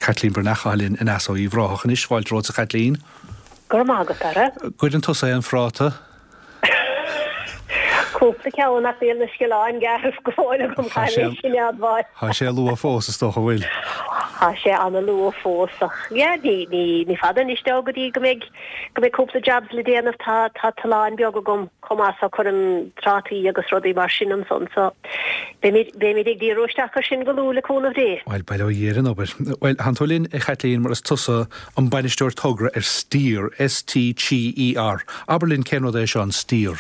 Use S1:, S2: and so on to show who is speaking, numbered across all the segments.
S1: Caitlín Breathnach atá linn aneas ó Uíbh Ráthach anois. Fáilte romhat a Chaitlín.
S2: Go raibh maith agat, Dara.
S1: Gcuireann tusa aon phráta?
S2: Cúpla ceann ach níl na sciolláin gearrtha go fóill agam, caithfidh mé sin a admháil.
S1: Tá sé luath fós, is dócha, bhfuil?
S2: Tá sé ana-luath fós ach yeah, ní, ní, ní fada anois dó go dtí go mbeidh, go mbeidh cúpla jobs le déanamh. Tá, tá tollán beag agam chomh maith so cuirim trátaí agus rudaí mar sin ansan so beimid, beimid ag díriú isteach ar sin go luath le cúnamh Dé.
S1: Bhuel, bail ó Dhia ar an obair. Bhuel, thánn tú linn, a Chaitlín, mar is tusa an bainisteoir togra ar Steer, S-T-E-E-R. Abair linn cén rud é seo, an Steer?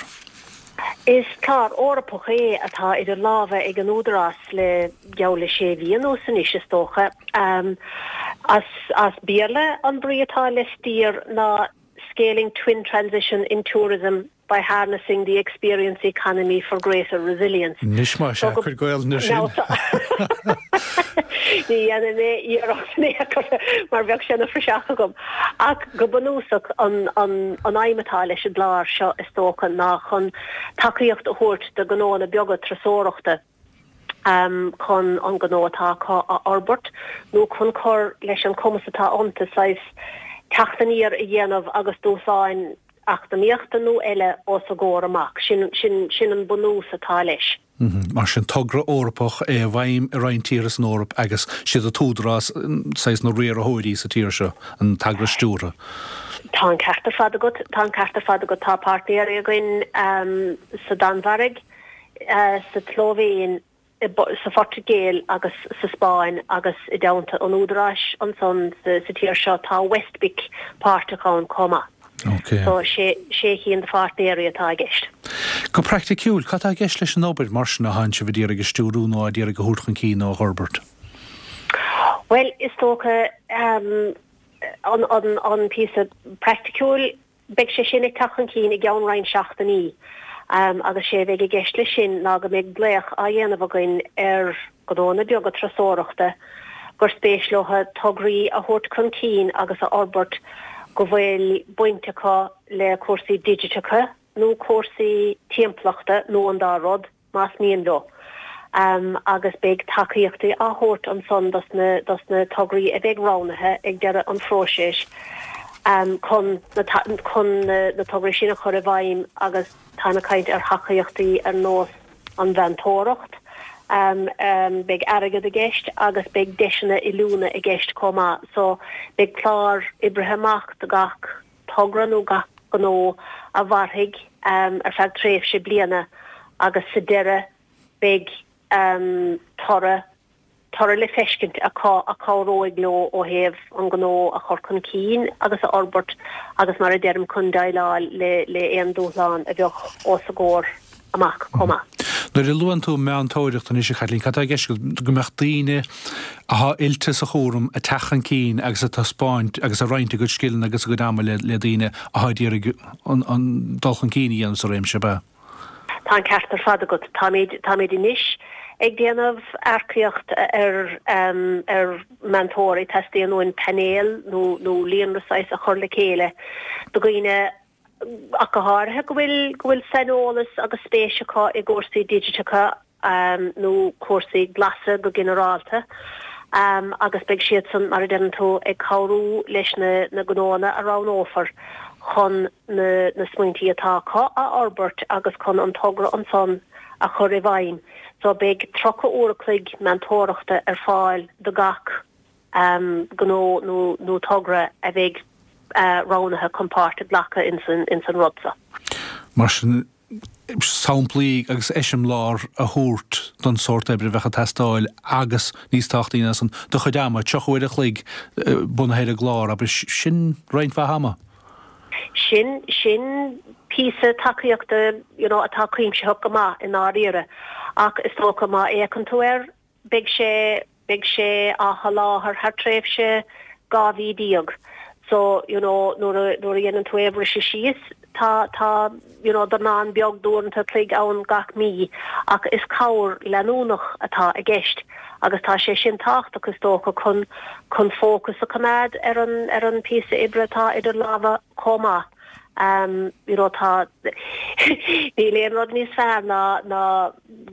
S2: Is clár Eorpach é atá idir lámha ag an Údarás le geall le sé mhí anuas anois, is dócha. As as Béarla an brí atá le Steer ná Scaling Twin Transition in Tourism by harnessing the experience economy for greater resilience.
S1: Anois más ea, cuir Gaolainn air sin.
S2: Ní dhéanfaidh mé iarracht in aon chor mar bheadh sé ina phraiseach agam. Ach go bunúsach an aidhm atá leis an gclár seo is dócha ná chun tacaíocht a thabhairt do ghnóanna beaga turasóireachta chun an gnó atá acu a fhorbairt nó chun cur leis an cumas atá iontu saghas teacht aniar a dhéanamh agus dúshláin eacnamaíochta nó eile os a gcomhair amach. Sin, sin, sin an bunús atá leis.
S1: Mar sin, togra Eorpach é i bhfeidhm i roinnt tíortha san Eoraip agus siad an tÚdarás saghas na riarthóirí sa tír seo, an t-eagras stiúrtha.
S2: Tá an ceart ar fad agat, tá an ceart ar fad agat. Tá páirtnéirí againn sa Danmhairg, sa tSlóivéin, sa Phortaingéil agus sa Spáinn agus i dteannta an Údaráis ansan sa tír seo tá WestBIC páirteach ann chomh maith.
S1: Ok.
S2: So sé cinn de pháirtnéirí atá i gceist.
S1: Go praiticiúil, cad tá i gceist leis an obair mar sin a thánn sibh a d'iarraidh a stiúrú nó á d'iarraidh a thabhairt chun cinn nó a fhorbairt?
S2: Bhuel, is dócha an píosa praiticiúil, Beidh sé sin ag teacht chun cinn i gceann roinnt seachtainí agus sé a bheidh i gceist leis sin ná go mbeidh glaoch á dhéanamh againn ar ghnóanna beaga turasóireachta gur spéis leo tograí a thabhairt chun cinn agus a fhorbairt go bhfuil baint acu le cúrsaí digiteacha nó cúrsaí timpeallachta nó an dá rud. más mian leo, agus beidh tacaíochtaí á thabhairt ansan dos na dos na tograí a bheidh roghnaithe ag deireadh an phróisis chun na chun na tograí sin a chur i bhfeidhm agus táim ag caint ar thacaíochtaí ar nós an mheantóireacht, beidh airgead i gceist agus beidh deiseanna oiliúna i gceist chomh maith so beidh clár oibrithe amach do gach togra nó gach gnó a mhairfidh ar feadh tréimhse bliana agus sa deireadh beidh toradh toradh le feiscint acu a chabhróidh leo ó thaobh an gnó a chur chun cinn agus a fhorbairt agus mar a deirim chun déileáil le le aon dúshlán a bheadh os a gcomhair amach chomh maith.
S1: Nuair a luann tú meantóireacht anois, a Chaitlín, cad tá i gceist agat? Go mbeadh daoine athá oilte sa chúram ag teacht chun cinn agus ag taispeáint agus ag roinnt a gcuid scileanna agus a gcuid ama le daoine athá ag iarraidh an dul chun cinn a dhéanamh sa réimse, ab ea?
S2: Tá an ceart ar fad agat. Táimid, táimid anois ag déanamh earcaíocht ar, ar meantóirí. Teastaíonn uainn painéal nó, nó líonra saghas a chur le chéile de dhaoine ach go háirithe, go bhfuil, go bhfuil saineolas agus spéis acu i gcúrsaí digiteacha nó cúrsaí glasa go ginearálta agus beidh siadsan, mar a deireann tú, ag cabhrú leis na, na gnóanna a roghnófar chun na, na smaointí atá acu a fhorbairt agus chun an togra ansan a chur i bhfeidhm. So beidh 30 uair a chloig meantóireachta ar fáil do gach. gnó nó togra a bheidh roghnaithe chun páirt a ghlacadh ins an rud
S1: so. Mar sin, samplaí agus eiseamláir a thabhairt don sórt oibre a bheadh ag teastáil agus, níos tábhachtaí ná san, do chuid ama, 30 uair a chloig bunaithe ar an gclár, abair, sin roinnt mhaith ama.
S2: Sin, sin píosa tacaíochta, you know, atá cuimsitheach go maith i ndáiríre. Ach is dócha má fhéachann tú air, Beidh sé, beidh sé á sholáthar thar tréimhse 12 mhí. So, you know, nuair a, nuair a dhéanann tú é a bhriseadh síos, tá, tá, you know, dornán beag d'uaireanta a chloig ann gach mí ach is cabhair leanúnach atá i gceist agus tá sé sin tábhachtach is dócha chun, chun fócas a choimeád ar an, ar an píosa oibre atá idir lámha chomh maith. You know tá, níl aon rud níos fearr ná, ná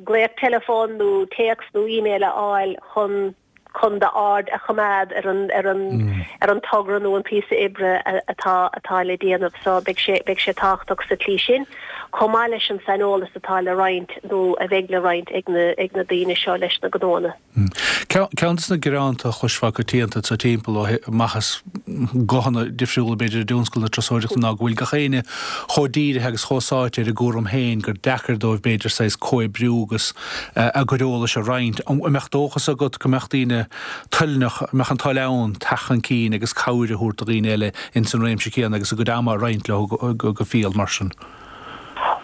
S2: glaoch teileafóin nó téacs nó email a fháil chun. chun d'aird a choimeád ar an ar an ar an togra nó an píosa oibre atá atá le déanamh. So beidh sé beidh sé tábhachtach sa tslí sin, chomh maith leis an saineolas atá le roinnt nó a bheidh le roinnt ag na ag na daoine seo leis na gnóanna.
S1: Ceann de na gearáin a chloisfeá coitianta sa timpeall ó amach as guthanna difriúla b'fhéidir i dtionscal na turasóireachta ná go bhfuil gach éinne chomh dírithe agus chomh sáite ar a gcúram féin gur deacair dóibh b'fhéidir saghas comhoibriú agus a gcuid eolais a roinnt. An mbeadh dóchas agat go mbeadh daoine toilneach, an mbeadh an toil ann teacht chun cinn agus cabhair a thabhairt do dhaoine eile ins an réimse céanna agus a gcuid ama a roinnt leo go fial mar sin?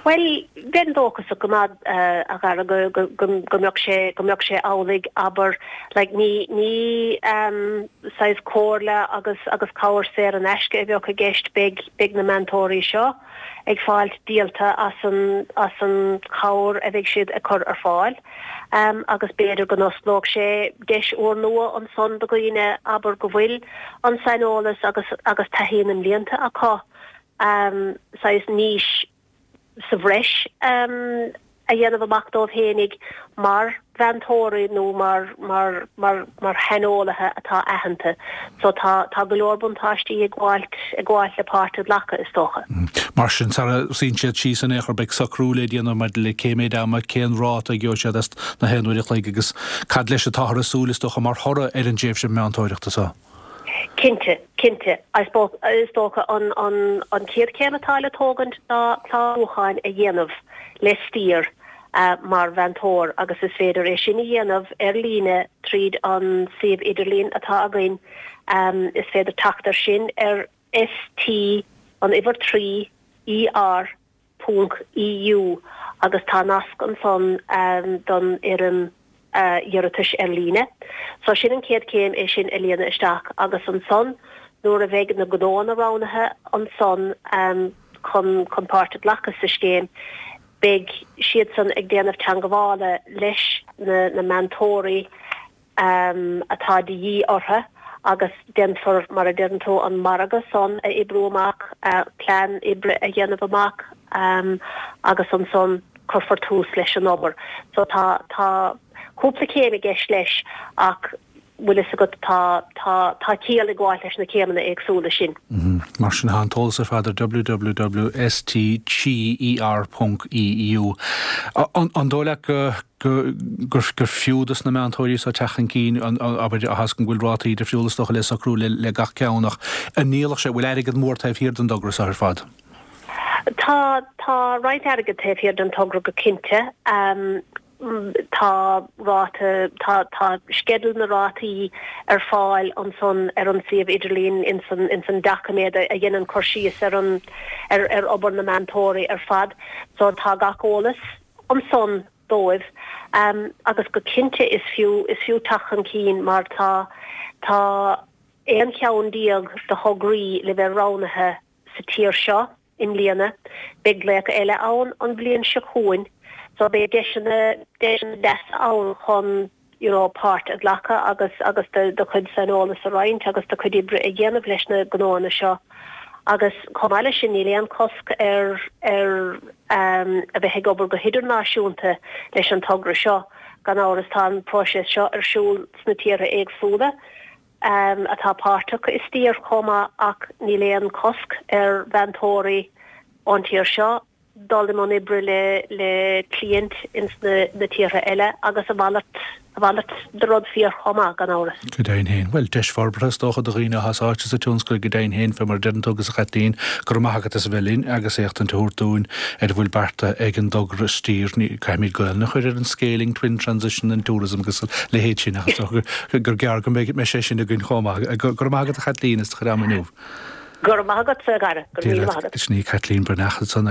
S2: Bhuel, bheinn dóchasach go maith, a Dhara, go, go, go, go mbeadh sé, go mbeadh sé amhlaidh, abair, like, ní, ní ehm, saghas comhairle agus, agus cabhair saor in aisce a bheadh i gceist, beidh, beidh na meantóirí seo ag fáilt díolta as an, as an chabhair a bheidh siad ag cur ar fáil. Ehm, agus b'fhéidir go n-osclódh sé deis úrnua ansan do dhaoine, abair, go bhfuil an saineolas agus, agus taithí na mblianta acu, saghas niche sa bhreis a dhéanamh amach dóibh fhéinig mar mheantóirí nó mar mar mar mar shaineolaithe atá aitheanta. So tá tá go leor buntáistí ag gabháilt ag gabháilt le páirt a ghlacadh, is dócha.
S1: Mar sin, sara suíonn siad síos in aon chor, beidh socrú le déanamh maidir le cé méid ama, cén ráta a gheobhaidh siad as na haon uair a chloig agus cad leis atáthar ag súil, is dócha, mar thoradh ar an dtréimhse meantóireachta seo.
S2: Cinnte, cinnte. I suppose, is dócha an, an, an chéad chéim atá le tógaint ná clárúcháin a dhéanamh le Steer mar mheantóir agus is féidir é sin a dhéanamh ar líne tríd an suíomh idirlín atá againn. Is féidir teacht air sin ar ST, an uimhir 3, ER, ponc EU agus tá nasc ansan don fhoirm iarratais ar líne. So sin an chéad chéim, é sin a líonadh isteach agus ansan nuair a bheidh na gnóanna roghnaithe ansan chun chun páirt a ghlacadh sa scéim, beidh siadsan ag déanamh teangabhála leis na na meantóirí atá de dhíth orthu agus déanfar, mar a deireann tú, an margadh san a oibriú amach, plean oibre a dhéanamh amach agus ansan cuirfear tús leis an obair. So tá, tá cúpla céim i gceist leis ach bhfuil fhios agat, tá, tá, tá ciall ag gabháilt leis na céimeanna éagsúla sin.
S1: Mar sin, tá an t-eolas ar fad ar www.stcher.eu. An dóigh leat go gur fiú dos na meantóirí seo teacht chun cinn, abair, tá 'fhios agam go bhfuil rátaí difriúla is dócha le socrú le gach ceann ach an ndíolfadh sé, bhfuil airgead mór taobh thiar den dtogra seo ar fad?
S2: Tá, tá roinnt airgid taobh thiar den togra go cinnte. Tá ráta, tá, tá sceideal na rátaí ar fáil ansan ar an suíomh idirlín ins an, ins an doiciméad a dhéanann cur síos ar an, ar, ar obair na meantóirí ar fad. So tá gach eolas ansan dóibh agus go cinnte is fiú, is fiú teacht chun cinn mar tá, tá 11 cheann de thograí le bheith roghnaithe sa tír seo i mbliana. Beidh glaoch eile ann an bhliain seo chugainn so beidh deiseanna, deiseanna deasa ann chun you know páirt a ghlacadh agus, agus do, do chuid saineolas a roinnt agus do chuid oibre a dhéanamh leis na gnóanna seo. Agus chomh maith leis sin níl aon chosc ar, ar a bheith ag obair go hidirnáisiúnta leis an togra seo. Gan amhras tá an próiseas seo ar siúl sna tíortha éagsúla atá páirteach i Steer chomh maith ach níl aon chosc ar mheantóirí ón tír seo dul i mbun oibre le le cliaint ins na na tíortha eile agus a mhalairt a mhalairt de rud fíor chomh maith, gan amhras.
S1: Go deimhin féin. Bhuel, deis forbartha is dócha do dhaoine atá sáite sa tionscal go deimhin féin, fé mar a deireann tú agus a Chaitlín, go raibh maith agat as a bheith linn agus éachtaint a thabhairt dúinn ar a bhfuil beartaithe ag an dtogra Steer. Ní, caithfimid Gaelainn a chur ar an Scaling Twin Transition and Tourism agus a leithéid sin ach is dócha gur gearr go mbeidh sé sin againn chomh maith. Go raibh maith agat a Chaitlín as do chuid ama inniu.
S2: Go raibh maith agatsa, a Dhara. Go raibh míle maith agat.
S1: Sin í Caitlín Breathnach ansan.